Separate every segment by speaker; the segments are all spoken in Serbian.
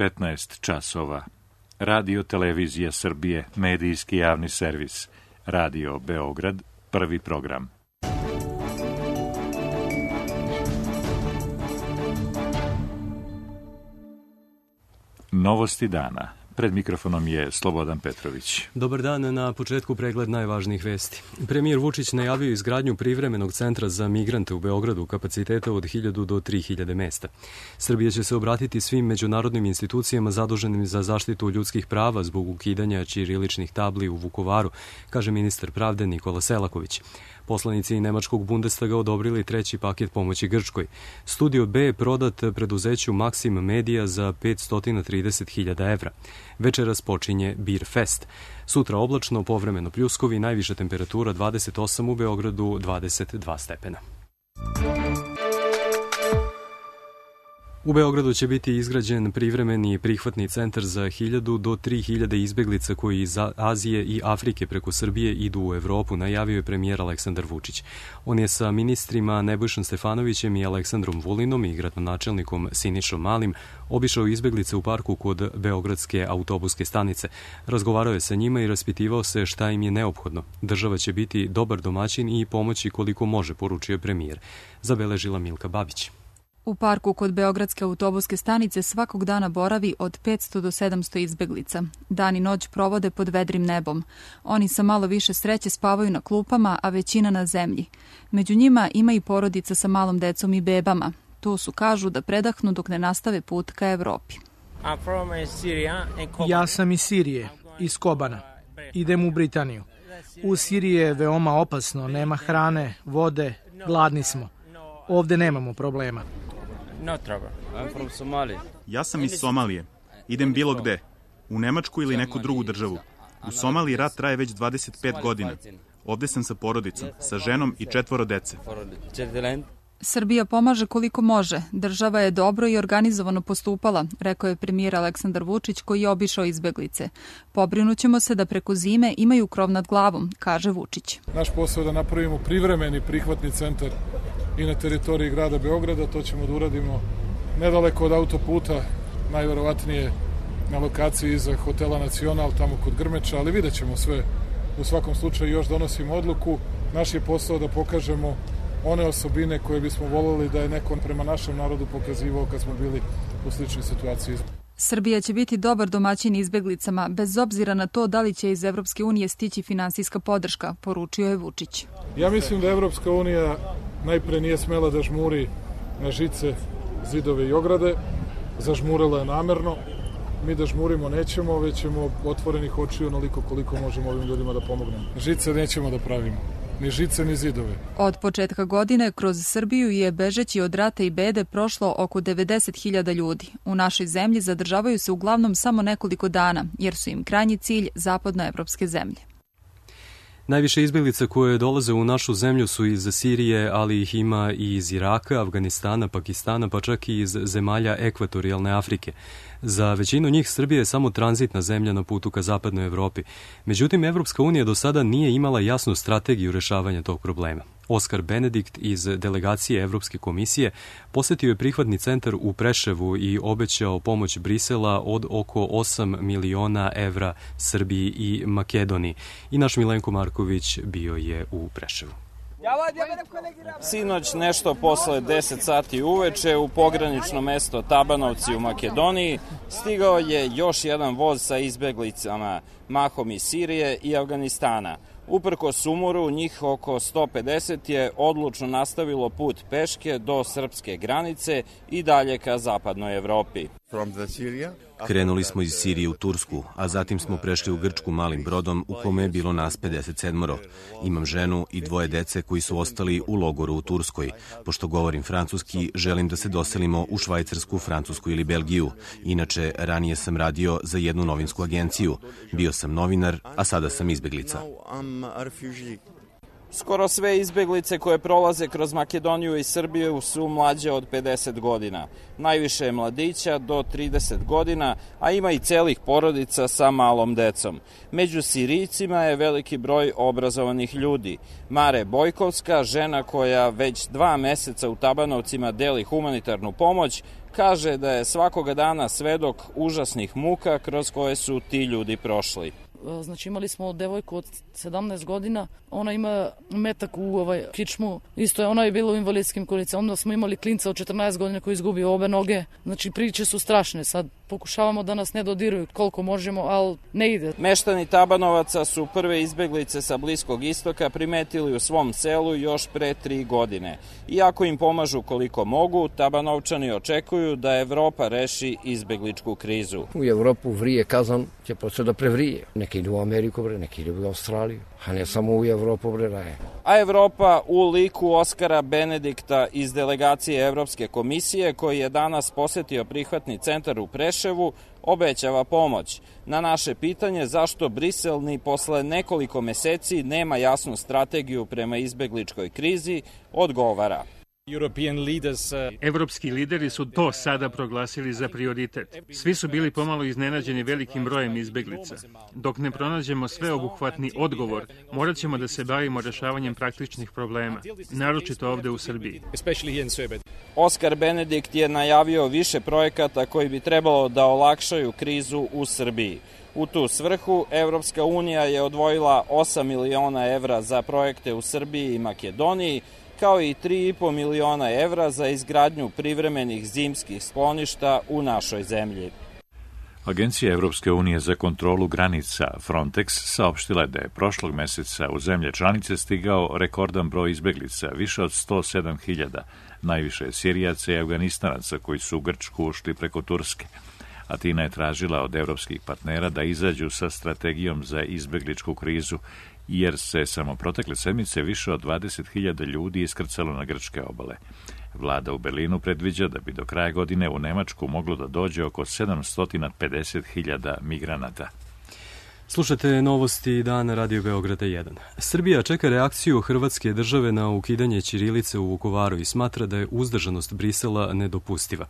Speaker 1: 15 časova. Radio Televizija Srbije, medijski javni servis. Radio Beograd, prvi program. Novosti dana. Pred mikrofonom je Slobodan Petrović.
Speaker 2: Dobar dan, na početku pregled najvažnijih vesti. Premijer Vučić najavio izgradnju privremenog centra za migrante u Beogradu kapaciteta od 1000 do 3000 mesta. Srbija će se obratiti svim međunarodnim institucijama zaduženim za zaštitu ljudskih prava zbog ukidanja ćiriličnih tabli u Vukovaru, kaže ministar pravde Nikola Selaković. Poslanici nemačkog Bundestaga odobrili treći paket pomoći Grčkoj. Studio B je prodat preduzeću Maxim Media za 530.000 evra. Večeras počinje Beer Fest. Sutra oblačno, povremeno pljuskovi, najviša temperatura 28 u Beogradu, 22 stepena. U Beogradu će biti izgrađen privremeni prihvatni centar za 1000 do 3000 izbeglica koji iz Azije i Afrike preko Srbije idu u Evropu, najavio je premijer Aleksandar Vučić. On je sa ministrima Nebojšom Stefanovićem i Aleksandrom Vulinom i gradonačelnikom Sinišom Malim obišao izbeglice u parku kod Beogradske autobuske stanice. Razgovarao je sa njima i raspitivao se šta im je neophodno. Država će biti dobar domaćin i pomoći koliko može, poručio premijer. Zabeležila Milka Babić.
Speaker 3: U parku kod Beogradske autobuske stanice svakog dana boravi od 500 do 700 izbeglica. Dan i noć provode pod vedrim nebom. Oni sa malo više sreće spavaju na klupama, a većina na zemlji. Među njima ima i porodica sa malom decom i bebama. Tu su, kažu, da predahnu dok ne nastave put ka Evropi.
Speaker 4: Ja sam iz Sirije, iz Kobana. Idem u Britaniju. U Siriji je veoma opasno, nema hrane, vode, gladni smo. Ovde nemamo problema.
Speaker 5: Ja sam iz Somalije. Idem bilo gde. U Nemačku ili neku drugu državu. U Somaliji rat traje već 25 godina. Ovde sam sa porodicom, sa ženom i 4 dece.
Speaker 3: Srbija pomaže koliko može. Država je dobro i organizovano postupala, rekao je premijer Aleksandar Vučić koji je obišao izbeglice. Pobrinućemo se da preko zime imaju krov nad glavom, kaže Vučić.
Speaker 6: Naš posao je da napravimo privremeni prihvatni centar i na teritoriji grada Beograda. To ćemo da uradimo nedaleko od autoputa, najverovatnije na lokaciji iza hotela Nacional, tamo kod Grmeča, ali vidjet ćemo sve. U svakom slučaju još donosimo odluku. Naš je posao da pokažemo one osobine koje bismo voljeli da je neko prema našem narodu pokazivao kad smo bili u sličnoj situaciji.
Speaker 3: Srbija će biti dobar domaćin izbeglicama, bez obzira na to da li će iz Evropske unije stići finansijska podrška, poručio je Vučić.
Speaker 6: Ja mislim da Evropska unija najpre nije smela da žmuri na žice, zidove i ograde. Zažmurila je namerno. Mi da žmurimo nećemo, već ćemo otvorenih očiju onoliko koliko možemo ovim ljudima da pomognemo. Žice nećemo da pravimo. Ni žice, ni zidove.
Speaker 3: Od početka godine kroz Srbiju je bežeći od rata i bede prošlo oko 90.000 ljudi. U našoj zemlji zadržavaju se uglavnom samo nekoliko dana, jer su im krajnji cilj zapadnoevropske zemlje.
Speaker 2: Najviše izbeglica koje dolaze u našu zemlju su iz Sirije, ali ih ima i iz Iraka, Afganistana, Pakistana, pa čak i iz zemalja ekvatorijalne Afrike. Za većinu njih Srbija je samo tranzitna zemlja na putu ka zapadnoj Evropi. Međutim, Evropska unija do sada nije imala jasnu strategiju rešavanja tog problema. Oskar Benedikt iz delegacije Evropske komisije posetio je prihvatni centar u Preševu i obećao pomoć Brisela od oko 8 miliona evra Srbiji i Makedoniji. I naš Milenko Marković bio je u Preševu.
Speaker 7: Sinoć nešto posle 10 sati uveče u pogranično mesto Tabanovci u Makedoniji stigao je još jedan voz sa izbeglicama, mahom iz Sirije i Afganistana. Uprkos sumoru, njih oko 150 je odlučno nastavilo put peške do srpske granice i dalje ka zapadnoj Evropi.
Speaker 8: Krenuli smo iz Sirije u Tursku, a zatim smo prešli u Grčku malim brodom u kome je bilo nas 57. Imam ženu i 2 dece koji su ostali u logoru u Turskoj. Pošto govorim francuski, želim da se doselimo u Švajcarsku, Francusku ili Belgiju. Inače, ranije sam radio za jednu novinsku agenciju. Bio sam novinar, a sada sam izbeglica.
Speaker 7: Skoro sve izbeglice koje prolaze kroz Makedoniju i Srbiju su mlađe od 50 godina. Najviše je mladića do 30 godina, a ima i celih porodica sa malom decom. Među Sirijcima je veliki broj obrazovanih ljudi. Mare Bojkovska, žena koja već 2 meseca u Tabanovcima deli humanitarnu pomoć, kaže da je svakoga dana svedok užasnih muka kroz koje su ti ljudi prošli.
Speaker 9: Znači imali smo devojku od 17 godina, ona ima metak u kičmu, isto je, ona je bila u invalidskim kolicama, onda smo imali klinca od 14 godina koji izgubio obe noge, znači priče su strašne, sad pokušavamo da nas ne dodiruju koliko možemo, ali ne ide.
Speaker 7: Meštani Tabanovaca su prve izbeglice sa Bliskog istoka primetili u svom selu još pre 3 godine. Iako im pomažu koliko mogu, Tabanovčani očekuju da Evropa reši izbegličku krizu.
Speaker 10: U Evropu vrije kazan će početi da prevrije. Neki idu u Ameriku, neki idu u Australiju, a ne samo u Evropu, raje.
Speaker 7: A Evropa u liku Oskara Benedikta iz delegacije Evropske komisije, koji je danas posetio prihvatni centar u Preševu, obećava pomoć. Na naše pitanje zašto Brisel ni posle nekoliko meseci nema jasnu strategiju prema izbegličkoj krizi, odgovara.
Speaker 11: Evropski lideri su to sada proglasili za prioritet. Svi su bili pomalo iznenađeni velikim brojem izbeglica. Dok ne pronađemo sveobuhvatni odgovor, morat ćemo da se bavimo rešavanjem praktičnih problema, naročito ovde u Srbiji.
Speaker 7: Oskar Benedikt je najavio više projekata koji bi trebalo da olakšaju krizu u Srbiji. U tu svrhu Evropska unija je odvojila 8 miliona evra za projekte u Srbiji i Makedoniji, kao i 3,5 miliona evra za izgradnju privremenih zimskih skloništa u našoj zemlji.
Speaker 1: Agencija Evropske unije za kontrolu granica Frontex saopštila je da je prošlog meseca u zemlje članice stigao rekordan broj izbeglica, više od 107.000, najviše Sirijaca i Afganistanaca koji su u Grčku ušli preko Turske. Atina je tražila od evropskih partnera da izađu sa strategijom za izbegličku krizu, jer se samo protekle sedmice više od 20.000 ljudi iskrcalo na grčke obale. Vlada u Berlinu predviđa da bi do kraja godine u Nemačku moglo da dođe oko 750.000 migranata.
Speaker 2: Slušate novosti dana Radio Beograda 1. Srbija čeka reakciju Hrvatske države na ukidanje ćirilice u Vukovaru i smatra da je uzdržanost Brisela nedopustiva,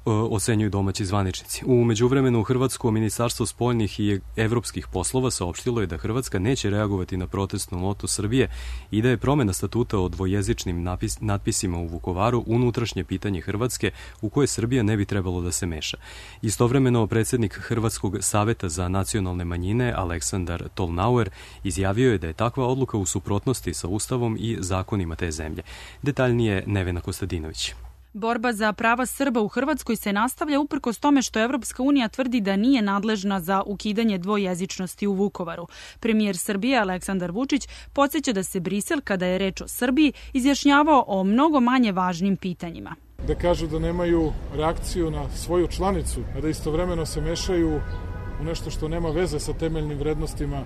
Speaker 2: ocenjuju domaći zvaničnici. U međuvremenu Hrvatsko ministarstvo spoljnih i evropskih poslova saopštilo je da Hrvatska neće reagovati na protestnu notu Srbije i da je promena statuta o dvojezičnim natpisima u Vukovaru unutrašnje pitanje Hrvatske u koje Srbija ne bi trebalo da se meša. Istovremeno predsjednik Hrvatskog saveta za nacionalne manjine Aleksandar Tolnauer izjavio je da je takva odluka u suprotnosti sa Ustavom i zakonima te zemlje. Detaljnije Nevena Kostadinović.
Speaker 12: Borba za prava Srba u Hrvatskoj se nastavlja uprkos tome što Evropska unija tvrdi da nije nadležna za ukidanje dvojezičnosti u Vukovaru. Premijer Srbije Aleksandar Vučić podsjeća da se Brisel, kada je reč o Srbiji, izjašnjavao o mnogo manje važnim pitanjima.
Speaker 6: Da kažu da nemaju reakciju na svoju članicu, a da istovremeno se mešaju u nešto što nema veze sa temeljnim vrednostima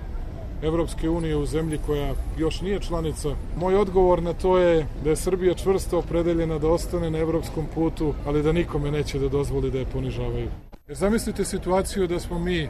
Speaker 6: Evropske unije u zemlji koja još nije članica. Moj odgovor na to je da je Srbija čvrsto opredeljena da ostane na evropskom putu, ali da nikome neće da dozvoli da je ponižavaju. Jer zamislite situaciju da smo mi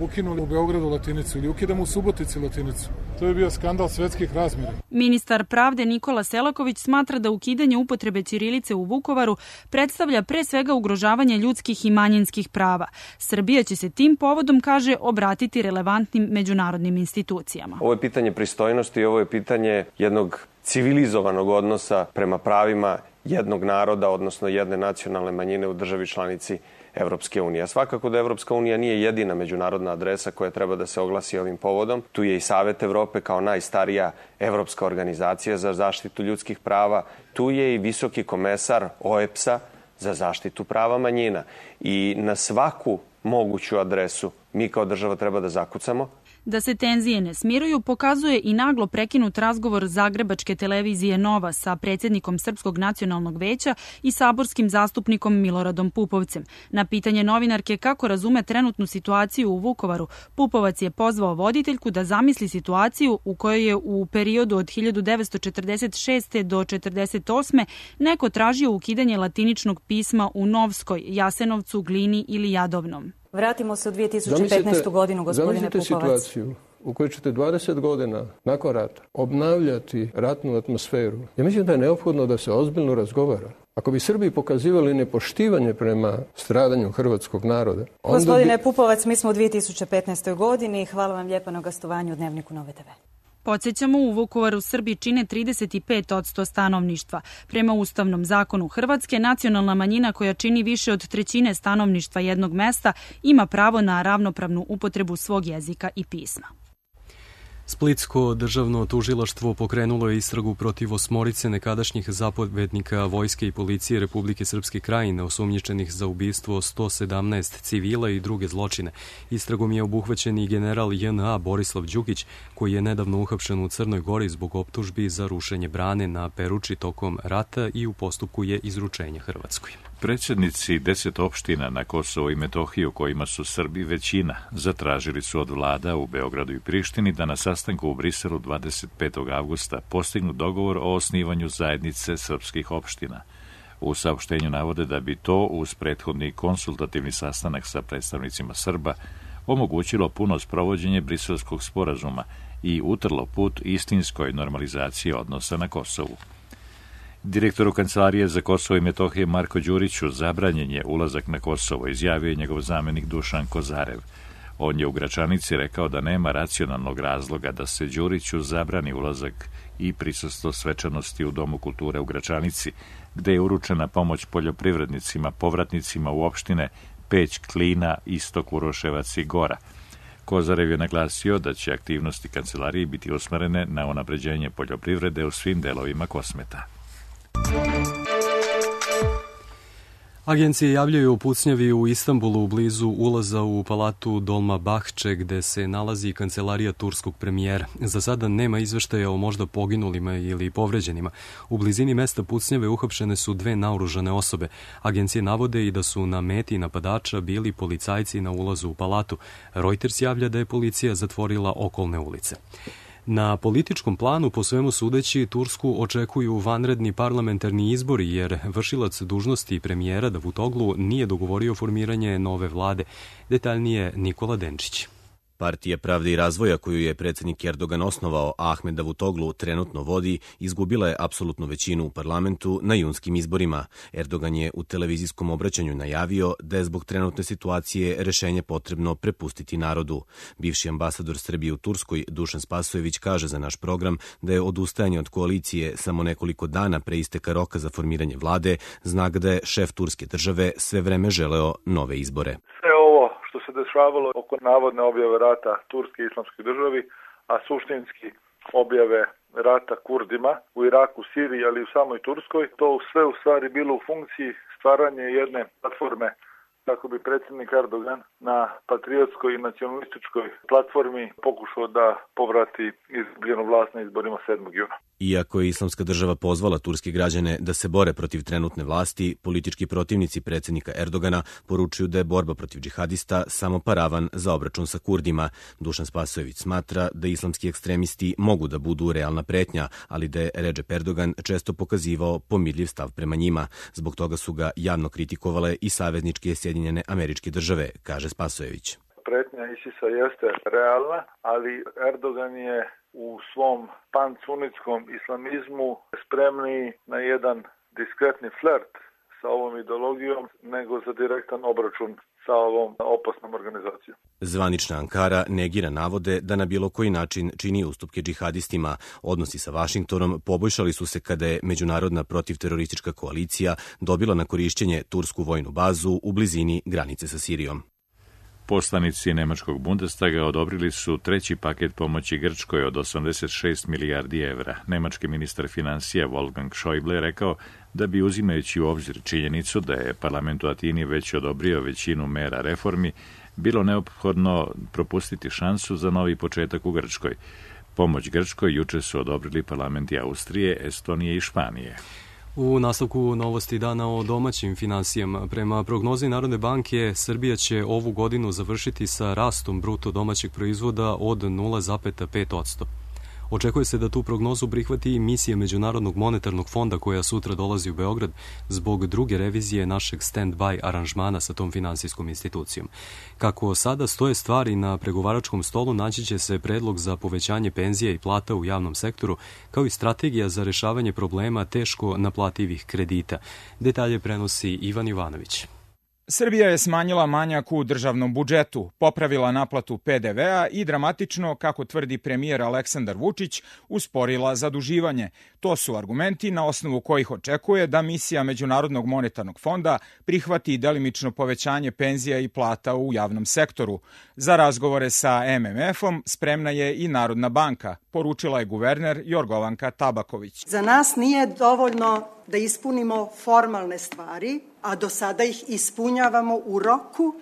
Speaker 6: ukinuli u Beogradu latinicu ili ukidamo u Subotici latinicu. To je bio skandal svetskih razmjera.
Speaker 12: Ministar pravde Nikola Selaković smatra da ukidanje upotrebe ćirilice u Vukovaru predstavlja pre svega ugrožavanje ljudskih i manjinskih prava. Srbija će se tim povodom, kaže, obratiti relevantnim međunarodnim institucijama.
Speaker 13: Ovo je pitanje pristojnosti i ovo je pitanje jednog civilizovanog odnosa prema pravima jednog naroda, odnosno jedne nacionalne manjine u državi članici Evropske unije. Svakako da Evropska unija nije jedina međunarodna adresa koja treba da se oglasi ovim povodom. Tu je i Savet Evrope kao najstarija evropska organizacija za zaštitu ljudskih prava. Tu je i visoki komesar OEBS-a za zaštitu prava manjina. I na svaku moguću adresu mi kao država treba da zakucamo.
Speaker 12: Da se tenzije ne smiruju pokazuje i naglo prekinut razgovor zagrebačke televizije Nova sa predsjednikom Srpskog nacionalnog veća i saborskim zastupnikom Miloradom Pupovcem. Na pitanje novinarke kako razume trenutnu situaciju u Vukovaru, Pupovac je pozvao voditeljku da zamisli situaciju u kojoj je u periodu od 1946. do 1948. neko tražio ukidanje latiničnog pisma u Novskoj, Jasenovcu, Glini ili Jadovnom.
Speaker 14: Vratimo se u 2015. godinu, gospodine Pupovac.
Speaker 15: Zamislite situaciju
Speaker 14: u kojoj ćete 20 godina nakon rata obnavljati ratnu atmosferu, ja mislim da je neophodno da se ozbiljno razgovara. Ako bi Srbi pokazivali nepoštivanje prema stradanju hrvatskog naroda...
Speaker 15: Gospodine Pupovac, mi smo u 2015. godini. Hvala vam lijepo na gostovanju u Dnevniku Nove TV.
Speaker 12: Podsjećamo, u Vukovaru Srbi čine 35% stanovništva. Prema Ustavnom zakonu Hrvatske, nacionalna manjina koja čini više od trećine stanovništva jednog mesta ima pravo na ravnopravnu upotrebu svog jezika i pisma.
Speaker 2: Splitsko državno tužilaštvo pokrenulo je istragu protiv 8 nekadašnjih zapovednika vojske i policije Republike Srpske Krajine osumnjičenih za ubistvo 117 civila i druge zločine. Istragom je obuhvaćen i general JNA Borislav Đukić, koji je nedavno uhapšen u Crnoj Gori zbog optužbi za rušenje brane na Peruči tokom rata i u postupku je izručenja Hrvatskoj.
Speaker 1: Predsjednici 10 opština na Kosovo i Metohiju, kojima su Srbi većina, zatražili su od vlada u Beogradu i Prištini da na sastanku u Briselu 25. avgusta postignu dogovor o osnivanju zajednice srpskih opština. U saopštenju navode da bi to, uz prethodni konsultativni sastanak sa predstavnicima Srba, omogućilo puno sprovođenje Briselskog sporazuma i utrlo put istinskoj normalizaciji odnosa na Kosovu. Direktoru Kancelarije za Kosovo i Metohije Marko Đuriću zabranjen je ulazak na Kosovo, izjavio je njegov zamenik Dušan Kozarev. On je u Gračanici rekao da nema racionalnog razloga da se Đuriću zabrani ulazak i prisustvo svečanosti u Domu kulture u Gračanici, gde je uručena pomoć poljoprivrednicima, povratnicima u opštine Peć, Klina, Istok, Uroševac i Gora. Kozarev je naglasio da će aktivnosti kancelarije biti usmerene na unapređenje poljoprivrede u svim delovima Kosmeta.
Speaker 2: Agencije javljaju o pucnjavi u Istanbulu blizu ulaza u palatu Dolmabahče, gde se nalazi kancelarija turskog premijera. Za sada nema izveštaja o možda poginulima ili povređenima. U blizini mesta pucnjave uhapšene su 2 naoružane osobe. Agencije navode i da su na meti napadača bili policajci na ulazu u palatu. Reuters javlja da je policija zatvorila okolne ulice. Na političkom planu, po svemu sudeći, Tursku očekuju vanredni parlamentarni izbori, jer vršilac dužnosti premijera Davutoglu nije dogovorio formiranje nove vlade. Detaljnije Nikola Denčić.
Speaker 8: Partija Pravde i razvoja, koju je predsjednik Erdogan osnovao, a Ahmed Davutoglu trenutno vodi, izgubila je apsolutnu većinu u parlamentu na junskim izborima. Erdogan je u televizijskom obraćanju najavio da je zbog trenutne situacije rešenje potrebno prepustiti narodu. Bivši ambasador Srbije u Turskoj, Dušan Spasojević, kaže za naš program da je odustajanje od koalicije samo nekoliko dana pre isteka roka za formiranje vlade znak da je šef turske države sve vreme želeo nove izbore.
Speaker 16: Što se dešavalo oko navodne objave rata Turske i Islamskoj državi, a suštinski objave rata Kurdima u Iraku, Siriji, ali i u samoj Turskoj, to sve u stvari bilo u funkciji stvaranja jedne platforme kako bi predsjednik Erdogan na patriotskoj i nacionalističkoj platformi pokušao da povrati izgubljenu vlast na izborima 7. juna.
Speaker 8: Iako je Islamska država pozvala turske građane da se bore protiv trenutne vlasti, politički protivnici predsjednika Erdogana poručuju da je borba protiv džihadista samo paravan za obračun sa Kurdima. Dušan Spasojević smatra da islamski ekstremisti mogu da budu realna pretnja, ali da je Recep Erdogan često pokazivao pomirljiv stav prema njima. Zbog toga su ga javno kritikovale i savezničke Sjedinjene Američke Države, kaže Spasojević.
Speaker 16: Pretnja ISIS-a jeste realna, ali Erdogan je u svom pansunitskom islamizmu spremniji na jedan diskretni flert sa ovom ideologijom nego za direktan obračun sa ovom opasnom organizacijom.
Speaker 8: Zvanična Ankara negira navode da na bilo koji način čini ustupke džihadistima. Odnosi sa Vašingtonom poboljšali su se kada je Međunarodna protivteroristička koalicija dobila na korišćenje tursku vojnu bazu u blizini granice sa Sirijom.
Speaker 1: Poslanici Nemačkog Bundestaga odobrili su 3. paket pomoći Grčkoj od 86 milijardi evra. Nemački ministar financija Wolfgang Schäuble rekao da bi, uzimajući u obzir činjenicu da je parlament u Atini već odobrio većinu mera reformi, bilo neophodno propustiti šansu za novi početak u Grčkoj. Pomoć Grčkoj juče su odobrili parlamenti Austrije, Estonije i Španije.
Speaker 2: U nastavku novosti dana o domaćim finansijama, prema prognozi Narodne banke, Srbija će ovu godinu završiti sa rastom bruto domaćeg proizvoda od 0,5%. Očekuje se da tu prognozu prihvati i misija Međunarodnog monetarnog fonda koja sutra dolazi u Beograd zbog druge revizije našeg stand-by aranžmana sa tom finansijskom institucijom. Kako sada stoje stvari na pregovaračkom stolu, naći će se predlog za povećanje penzija i plata u javnom sektoru, kao i strategija za rešavanje problema teško naplativih kredita. Detalje prenosi Ivan Ivanović.
Speaker 17: Srbija je smanjila manjak u državnom budžetu, popravila naplatu PDV-a i dramatično, kako tvrdi premijer Aleksandar Vučić, usporila zaduživanje. To su argumenti na osnovu kojih očekuje da misija Međunarodnog monetarnog fonda prihvati delimično povećanje penzija i plata u javnom sektoru. Za razgovore sa MMF-om spremna je i Narodna banka, poručila je guverner Jorgovanka Tabaković.
Speaker 18: Za nas nije dovoljno da ispunimo formalne stvari, a do sada ih ispunjavamo u roku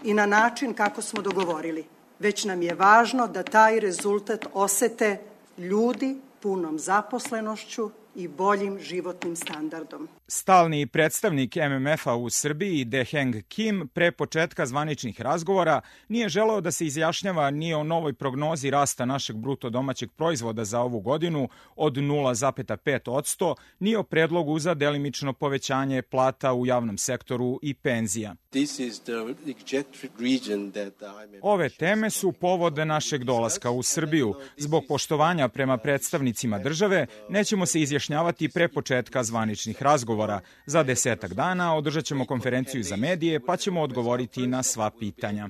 Speaker 18: i na način kako smo dogovorili. Već nam je važno da taj rezultat osete ljudi punom zaposlenošću i boljim životnim standardom.
Speaker 17: Stalni predstavnik MMF-a u Srbiji, Deheng Kim, pre početka zvaničnih razgovora nije želeo da se izjašnjava ni o novoj prognozi rasta našeg bruto domaćeg proizvoda za ovu godinu od 0,5%, ni o predlogu za delimično povećanje plata u javnom sektoru i penzija. Ove teme su povod našeg dolaska u Srbiju. Zbog poštovanja prema predstavnicima države nećemo se izjašnjavati pre početka zvaničnih razgovora. Za 10 dana održat ćemo konferenciju za medije pa ćemo odgovoriti na sva pitanja.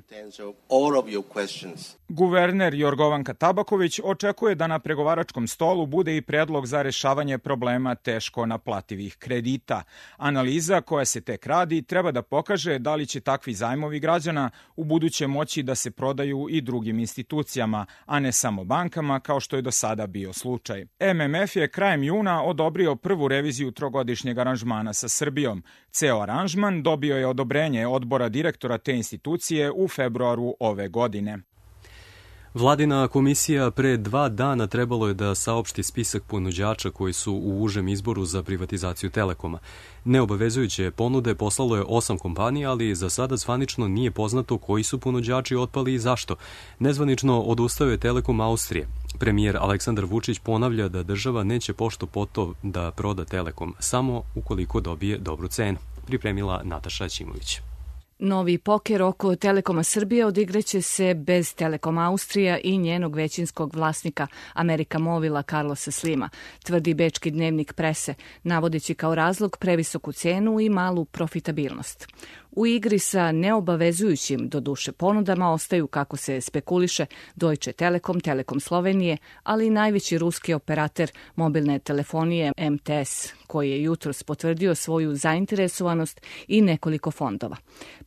Speaker 17: Guverner Jorgovanka Tabaković očekuje da na pregovaračkom stolu bude i predlog za rešavanje problema teško naplativih kredita. Analiza koja se tek radi treba da pokaže da li će takvi zajmovi građana u buduće moći da se prodaju i drugim institucijama, a ne samo bankama kao što je do sada bio slučaj. MMF je krajem juna odobrio prvu reviziju trogodišnjeg aranžmana sa Srbijom. Ceo aranžman dobio je odobrenje odbora direktora te institucije u februaru ove godine.
Speaker 2: Vladina komisija pre 2 dana trebalo je da saopšti spisak ponuđača koji su u užem izboru za privatizaciju Telekoma. Neobavezujuće ponude poslalo je 8 kompanija, ali za sada zvanično nije poznato koji su ponuđači otpali i zašto. Nezvanično odustao je Telekom Austrije. Premijer Aleksandar Vučić ponavlja da država neće pošto poto da proda Telekom, samo ukoliko dobije dobru cenu. Pripremila Nataša Ćimović.
Speaker 19: Novi poker oko Telekoma Srbije odigraće se bez Telekom Austrija i njenog većinskog vlasnika Amerika Movila Carlosa Slima, tvrdi bečki dnevnik Prese, navodeći kao razlog previsoku cenu i malu profitabilnost. U igri sa neobavezujućim, doduše, ponudama ostaju, kako se spekuliše, Deutsche Telekom, Telekom Slovenije, ali i najveći ruski operater mobilne telefonije MTS, koji je jutros potvrdio svoju zainteresovanost i nekoliko fondova.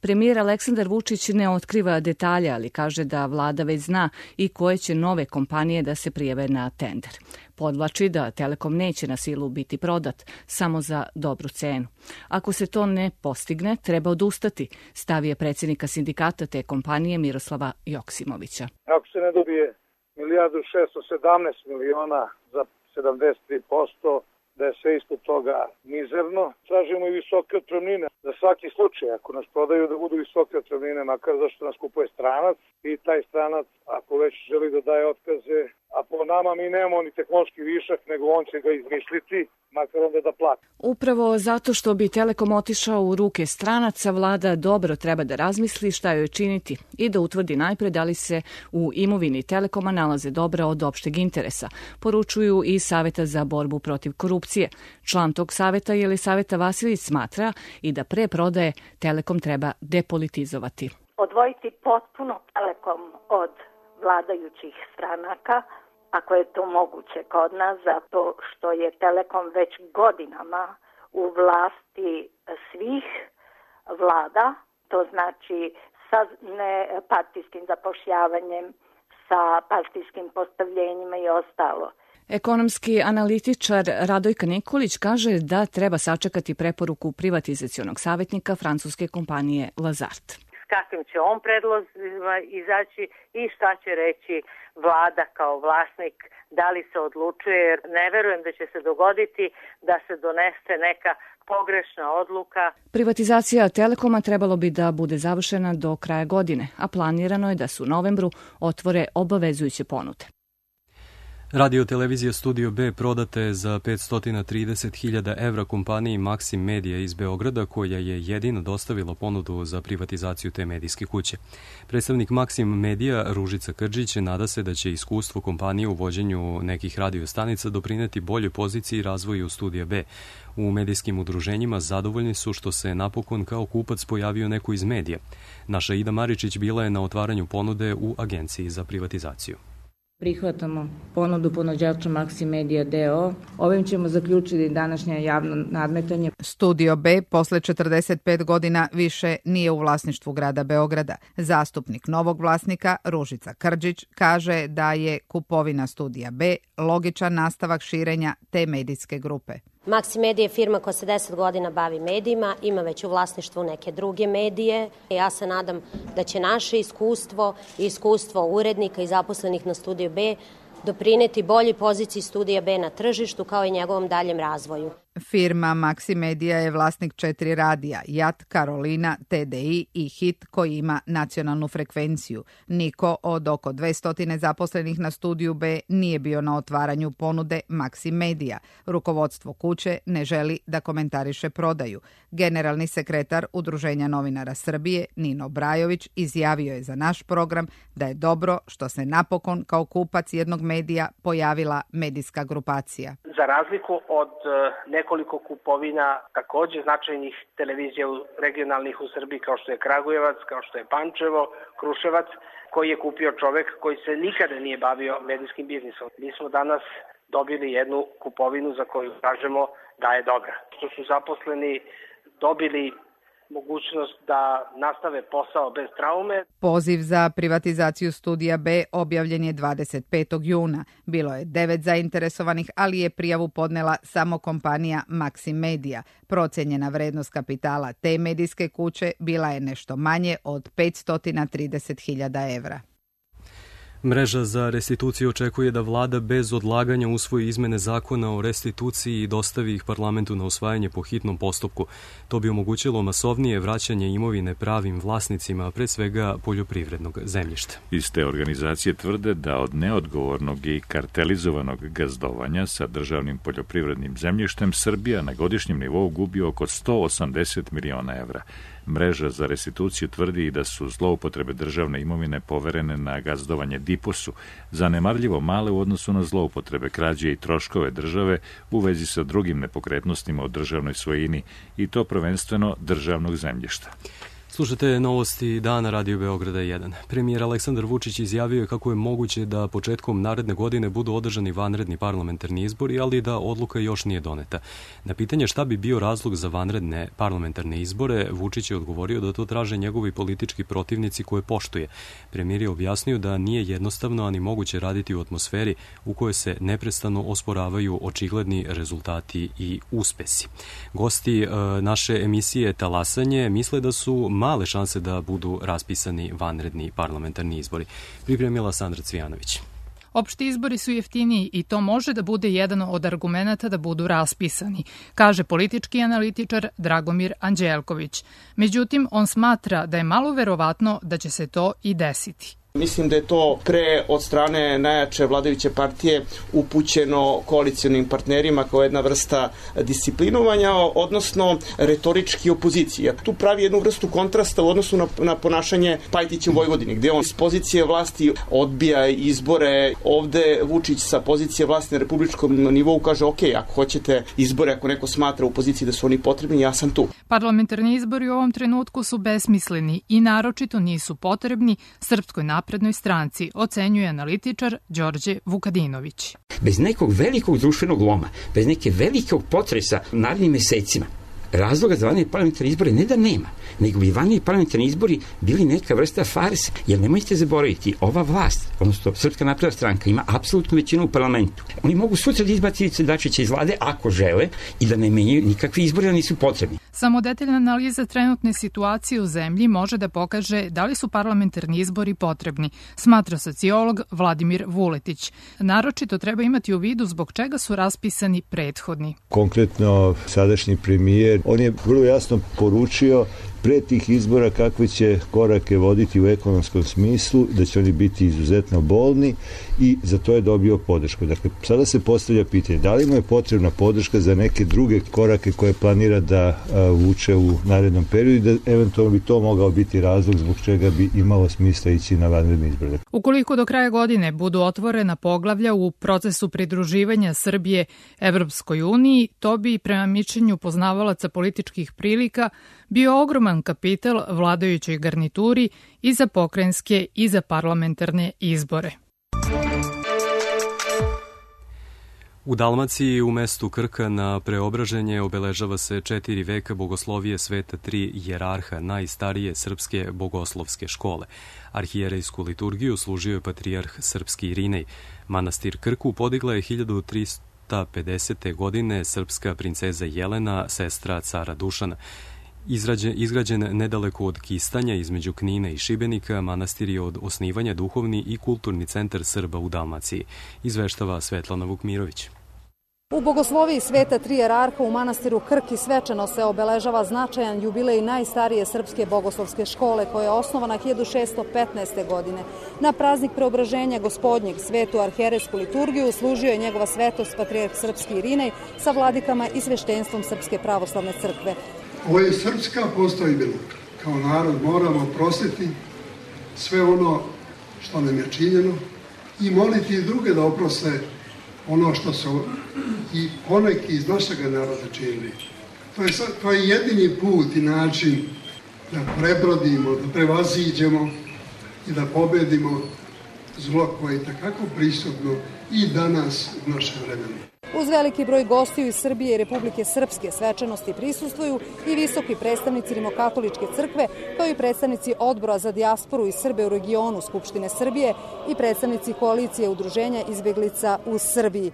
Speaker 19: Premijer Aleksandar Vučić ne otkriva detalje, ali kaže da vlada već zna i koje će nove kompanije da se prijave na tender. Podvlači da Telekom neće na silu biti prodat, samo za dobru cenu. Ako se to ne postigne, treba odustati, stav je predsjednika sindikata te kompanije Miroslava Joksimovića.
Speaker 20: Ako se ne dobije 1.617 miliona za 73%, da je sve isto toga mizerno. Tražimo i visoke otpremnine za svaki slučaj. Ako nas prodaju, da budu visoke otpremnine, makar zašto nas kupuje stranac i taj stranac, ako već želi da daje otkaze, a po nama mi nemamo ni tehnološki višak, nego on će ga izmisliti, makar onda da plati.
Speaker 19: Upravo zato što bi Telekom otišao u ruke stranaca, vlada dobro treba da razmisli šta joj činiti i da utvrdi najpre da li se u imovini Telekoma nalaze dobra od opšteg interesa, poručuju i Saveta za borbu protiv korupcije. Član tog saveta Jelisaveta Vasilić smatra i da pre prodaje Telekom treba depolitizovati.
Speaker 21: Odvojiti potpuno Telekom od vladajućih stranaka, ako je to moguće kod nas, zato što je Telekom već godinama u vlasti svih vlada, to znači sa nepartijskim zapošljavanjem, sa partijskim postavljenjima i ostalo.
Speaker 19: Ekonomski analitičar Radojka Nikolić kaže da treba sačekati preporuku privatizacionog savjetnika francuske kompanije Lazard.
Speaker 22: Kakvim će on predlozima izaći i šta će reći vlada kao vlasnik, da li se odlučuje, jer ne verujem da će se dogoditi da se donese neka pogrešna odluka.
Speaker 19: Privatizacija Telekoma trebalo bi da bude završena do kraja godine, a planirano je da se u novembru otvore obavezujuće ponude.
Speaker 2: Radio televizija Studio B prodate je za 530.000 evra kompaniji Maxim Media iz Beograda, koja je jedina dostavila ponudu za privatizaciju te medijske kuće. Predstavnik Maxim Media Ružica Krdžić nada se da će iskustvo kompanije u vođenju nekih radiostanica doprineti boljoj poziciji i razvoju Studija B. U medijskim udruženjima zadovoljni su što se napokon kao kupac pojavio neko iz medija. Naša Ida Maričić bila je na otvaranju ponude u Agenciji za privatizaciju.
Speaker 4: Prihvatamo ponudu ponuđača Maxim Media DO. Ovim ćemo zaključiti današnje javno nadmetanje.
Speaker 5: Studio B posle 45 godina više nije u vlasništvu grada Beograda. Zastupnik novog vlasnika Ružica Krdžić kaže da je kupovina Studija B logičan nastavak širenja te medijske grupe.
Speaker 23: Maxim Media je firma koja se 10 godina bavi medijima, ima već u vlasništvu neke druge medije. Ja se nadam da će naše iskustvo i iskustvo urednika i zaposlenih na Studiju B doprineti boljoj poziciji Studija B na tržištu kao i njegovom daljem razvoju.
Speaker 5: Firma Maxim Media je vlasnik 4 radija, JAT, Karolina, TDI i HIT koji ima nacionalnu frekvenciju. Niko od oko 200 zaposlenih na Studiju B nije bio na otvaranju ponude Maxim Media. Rukovodstvo kuće ne želi da komentariše prodaju. Generalni sekretar Udruženja novinara Srbije, Nino Brajović, izjavio je za naš program da je dobro što se napokon kao kupac jednog medija pojavila medijska grupacija.
Speaker 24: Za razliku od nekoliko kupovina takođe značajnih televizija regionalnih u Srbiji kao što je Kragujevac, kao što je Pančevo, Kruševac, koji je kupio čovek koji se nikada nije bavio medijskim biznisom. Mi smo danas dobili jednu kupovinu za koju kažemo da je dobra. Što su zaposleni dobili mogućnost da nastave posao bez traume.
Speaker 5: Poziv za privatizaciju Studija B objavljen je 25. juna. Bilo je 9 zainteresovanih, ali je prijavu podnela samo kompanija Maxim Media. Procenjena vrednost kapitala te medijske kuće bila je nešto manje od 530.000 evra.
Speaker 2: Mreža za restituciju očekuje da vlada bez odlaganja usvoji izmene zakona o restituciji i dostavi ih parlamentu na usvajanje po hitnom postupku. To bi omogućilo masovnije vraćanje imovine pravim vlasnicima, pre svega poljoprivrednog zemljišta.
Speaker 1: Iz te organizacije tvrde da od neodgovornog i kartelizovanog gazdovanja sa državnim poljoprivrednim zemljištem Srbija na godišnjem nivou gubi oko 180 miliona evra. Mreža za restituciju tvrdi i da su zloupotrebe državne imovine poverene na gazdovanje DIPOS-u, zanemarljivo male u odnosu na zloupotrebe, krađe i troškove države u vezi sa drugim nepokretnostima u državnoj svojini i to prvenstveno državnog zemljišta.
Speaker 2: Slušate novosti dana Radio Beograda 1. Premijer Aleksandar Vučić izjavio je kako je moguće da početkom naredne godine budu održani vanredni parlamentarni izbori, ali da odluka još nije doneta. Na pitanje šta bi bio razlog za vanredne parlamentarne izbore, Vučić je odgovorio da to traže njegovi politički protivnici koje poštuje. Premijer je objasnio da nije jednostavno ani moguće raditi u atmosferi u kojoj se neprestano osporavaju očigledni rezultati i uspesi. Gosti naše emisije Talasanje misle da su male šanse da budu raspisani vanredni parlamentarni izbori. Pripremila Sandra Cvijanović.
Speaker 25: Opšti izbori su jeftiniji i to može da bude jedan od argumenata da budu raspisani, kaže politički analitičar Dragomir Anđelković. Međutim, on smatra da je malo verovatno da će se to i desiti.
Speaker 26: Mislim da je to pre od strane najjače vladajuće partije upućeno koalicijonim partnerima kao jedna vrsta disciplinovanja, odnosno retorički opozicije. Tu pravi jednu vrstu kontrasta u odnosu na ponašanje Pajtića u Vojvodini, gde on s pozicije vlasti odbija izbore. Ovde Vučić sa pozicije vlasti na republičkom nivou kaže ok, ako hoćete izbore, ako neko smatra u poziciji da su oni potrebni, ja sam tu.
Speaker 25: Parlamentarni izbori u ovom trenutku su besmisleni i naročito nisu potrebni Srpskoj naprednoj stranci, ocenjuje analitičar Đorđe Vukadinović.
Speaker 27: Bez nekog velikog društvenog loma, bez neke velikog potresa u narednim mesecima, razloga za vanredne parlamentarne izbore ne da nema, nego bi vanredni parlamentarni izbori bili neka vrsta farse, jer nemojte zaboraviti, ova vlast, odnosno Srpska napredna stranka, ima apsolutnu većinu u parlamentu. Oni mogu sutra da izbaciti Ivicu Dačića iz vlade ako žele i da ne menjaju nikakvi izbori, da nisu potrebni.
Speaker 25: Samo detaljna analiza trenutne situacije u zemlji može da pokaže da li su parlamentarni izbori potrebni, smatra sociolog Vladimir Vuletić. Naročito treba imati u vidu zbog čega su raspisani prethodni.
Speaker 28: Konkretno, sadašnji premijer, on je vrlo jasno poručio
Speaker 3: pre tih izbora kakve će korake voditi u ekonomskom smislu, da će oni biti izuzetno bolni i za to je dobio podršku. Dakle, sada se postavlja pitanje da li mu je potrebna podrška za neke druge korake koje planira da vuče u narednom periodu i da eventualno bi to mogao biti razlog zbog čega bi imalo smisla ići na vanredne izbore.
Speaker 25: Ukoliko do kraja godine budu otvorena poglavlja u procesu pridruživanja Srbije Evropskoj uniji, to bi prema mišljenju poznavalaca političkih prilika bio ogroman kapital vladajućoj garnituri i za pokrajinske i za parlamentarne izbore.
Speaker 2: U Dalmaciji u mestu Krka na Preobraženje obeležava se 4 veka bogoslovije sveta 3 jerarha najstarije srpske bogoslovske škole. Arhijerejsku liturgiju služio je patrijarh srpski Irinej. Manastir Krku podigla je 1350. godine srpska princeza Jelena, sestra cara Dušana. Izgrađen nedaleko od Kistanja između Knina i Šibenika, manastir je od osnivanja duhovni i kulturni centar Srba u Dalmaciji, izveštava Svetlana Vukmirović.
Speaker 6: U bogosloviji sveta 3 jerarha u manastiru Krki svečano se obeležava značajan jubilej najstarije srpske bogoslovske škole koja je osnovana 1615. godine. Na praznik Preobraženja Gospodnjeg svetu arhijerejsku liturgiju služio je njegova svetost patrijarh srpski Irinej sa vladikama i sveštenstvom Srpske pravoslavne crkve.
Speaker 7: Ovo je srpska postojbina. Kao narod moramo prostiti sve ono što nam je činjeno i moliti druge da oproste ono što su i poneki iz našeg naroda činili. To je jedini put i način da prebrodimo, da prevaziđemo i da pobedimo zlo koje je takako prisutno i danas u našem vremenu.
Speaker 6: Uz veliki broj gostiju iz Srbije i Republike Srpske svečanosti prisustvuju i visoki predstavnici Rimokatoličke crkve, kao i predstavnici Odbora za dijasporu i Srbe u regionu Skupštine Srbije i predstavnici koalicije udruženja izbeglica u Srbiji.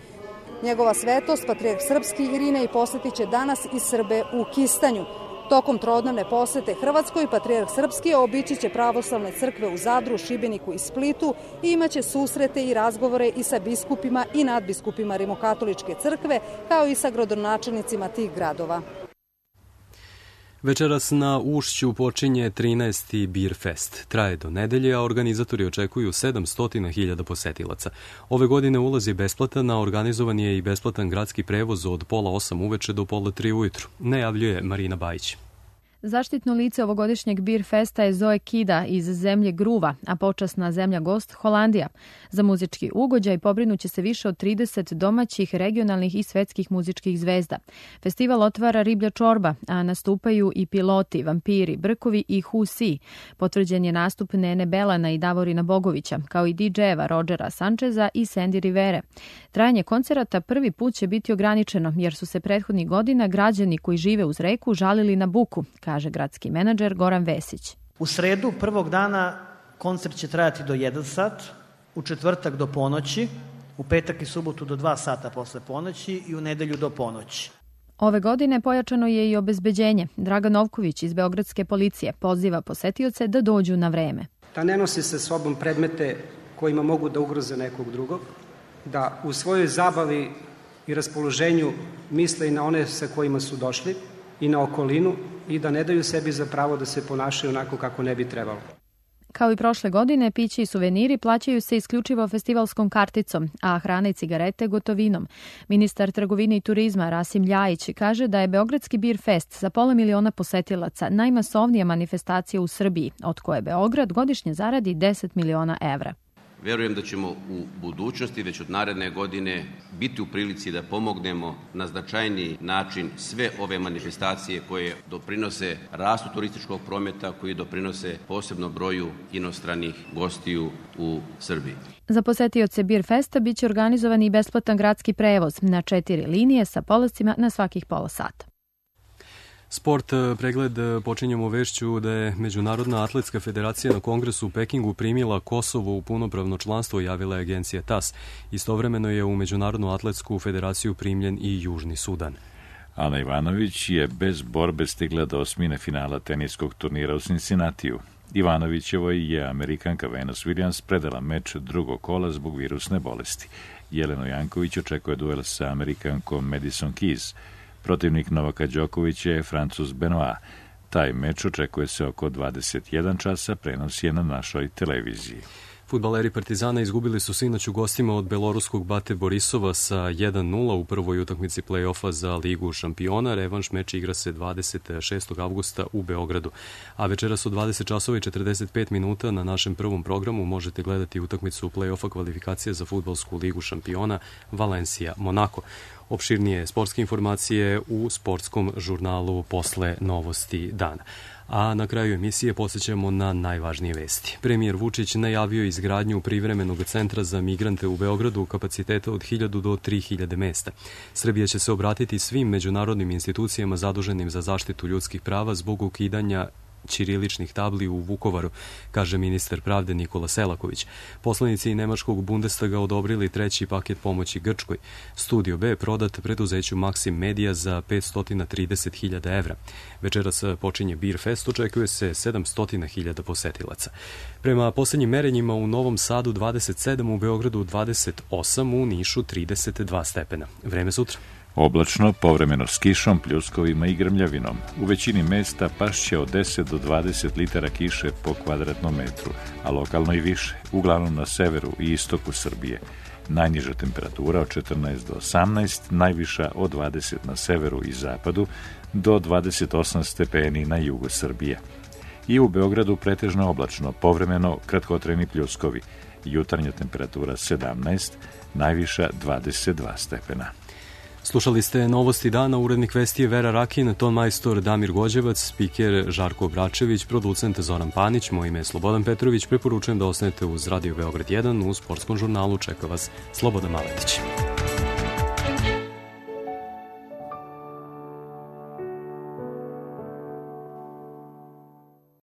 Speaker 6: Njegova svetost, patrijarh srpski Irinej, posjetit će danas i Srbe u Kistanju. Tokom trodnevne posete Hrvatskoj, patrijarh srpski obići će pravoslavne crkve u Zadru, Šibeniku i Splitu i imaće susrete i razgovore i sa biskupima i nadbiskupima Rimokatoličke crkve, kao i sa gradonačelnicima tih gradova.
Speaker 2: Večeras na Ušću počinje 13. Beer Fest. Traje do nedelje, a organizatori očekuju 700.000 posetilaca. Ove godine ulaz je besplatan, a organizovan je i besplatan gradski prevoz od 7:30 uveče do 2:30 ujutru, najavljuje Marina Bajić.
Speaker 9: Zaštitno lice ovogodišnjeg Beer Festa je Zoe Kida iz zemlje Gruva, a počasna zemlja gost Holandija. Za muzički ugođaj pobrinuće se više od 30 domaćih, regionalnih i svetskih muzičkih zvezda. Festival otvara Riblja čorba, a nastupaju i Piloti, Vampiri, Brkovi i Husi. Potvrđen je nastup Nene Belana i Davorina Bogovića, kao i DJ-eva Rodgera Sančeza i Sandy Rivere. Trajanje koncerata prvi put će biti ograničeno, jer su se prethodnih godina građani koji žive uz reku žalili na buku, kaže gradski menadžer Goran Vesić.
Speaker 10: U sredu prvog dana koncert će trajati do 1 sat, u četvrtak do ponoći, u petak i subotu do 2 sata posle ponoći i u nedelju do ponoći.
Speaker 9: Ove godine pojačano je i obezbeđenje. Dragan Novković iz Beogradske policije poziva posetioce da dođu na vreme.
Speaker 11: Da ne nosi sa sobom predmete kojima mogu da ugroze nekog drugog, da u svojoj zabavi i raspoloženju misle i na one sa kojima su došli i na okolinu i da ne daju sebi za pravo da se ponašaju onako kako ne bi trebalo.
Speaker 9: Kao i prošle godine, piće i suveniri plaćaju se isključivo festivalskom karticom, a hrana i cigarete gotovinom. Ministar trgovine i turizma Rasim Ljajić kaže da je Beogradski Beer Fest sa 500.000 posetilaca najmasovnija manifestacija u Srbiji, od koje Beograd godišnje zaradi 10 miliona evra.
Speaker 13: Verujem da ćemo u budućnosti, već od naredne godine, biti u prilici da pomognemo na značajniji način sve ove manifestacije koje doprinose rastu turističkog prometa, koji doprinose posebno broju inostranih gostiju u Srbiji.
Speaker 9: Za posetioce Beer Festa biće organizovan i besplatan gradski prevoz na 4 linije sa polascima na svakih pola sata.
Speaker 2: Sport pregled počinjemo vešću da je Međunarodna atletska federacija na kongresu u Pekingu primila Kosovo u punopravno članstvo, javila je agencija TAS. Istovremeno je u Međunarodnu atletsku federaciju primljen i Južni Sudan.
Speaker 1: Ana Ivanović je bez borbe stigla do osmine finala teniskog turnira u Cincinnatiju. Ivanovićevoj je Amerikanka Venus Williams predala meč drugog kola zbog virusne bolesti. Jelenu Janković očekuje duel sa Amerikankom Madison Keys. Protivnik Novaka Đokovića je Francuz Benoit. Taj meč očekuje se oko 21 časa, prenos je na našoj televiziji.
Speaker 2: Fudbaleri Partizana izgubili su sinoć u gostima od beloruskog Bate Borisova sa 1-0 u prvoj utakmici play-offa za Ligu šampiona. Revanš meč igra se 26. avgusta u Beogradu. A večeras u 20 časova i 45 minuta na našem prvom programu možete gledati utakmicu play-offa kvalifikacije za fudbalsku Ligu šampiona Valencija-Monako. Opširnije sportske informacije u sportskom žurnalu posle novosti dana. A na kraju emisije podsjećamo na najvažnije vesti. Premijer Vučić najavio izgradnju privremenog centra za migrante u Beogradu kapaciteta od 1000 do 3000 mesta. Srbija će se obratiti svim međunarodnim institucijama zaduženim za zaštitu ljudskih prava zbog ukidanja ćiriličnih tabli u Vukovaru, kaže ministar pravde Nikola Selaković. Poslanici nemačkog Bundestaga odobrili treći paket pomoći Grčkoj. Studio B prodat preduzeću Maxim Media za 530.000 evra. Večeras počinje Beer Fest, očekuje se 700.000 posetilaca. Prema poslednjim merenjima u Novom Sadu 27, u Beogradu 28, u Nišu 32 stepena. Vreme sutra.
Speaker 1: Oblačno, povremeno s kišom, pljuskovima i grmljavinom. U većini mesta pašće od 10 do 20 litara kiše po kvadratnom metru, a lokalno i više, uglavnom na severu i istoku Srbije. Najniža temperatura od 14 do 18, najviša od 20 na severu i zapadu, do 28 stepeni na jugu Srbije. I u Beogradu pretežno oblačno, povremeno kratkotrajni pljuskovi. Jutarnja temperatura 17, najviša 22 stepena.
Speaker 2: Slušali ste novosti dana, urednik vesti je Vera Rakin, ton majstor Damir Gođevac, spiker Žarko Obračević, producent Zoran Panić, moje ime je Slobodan Petrović, preporučujem da ostanete uz Radio Beograd 1, u sportskom žurnalu čeka vas Slobodan Maletić.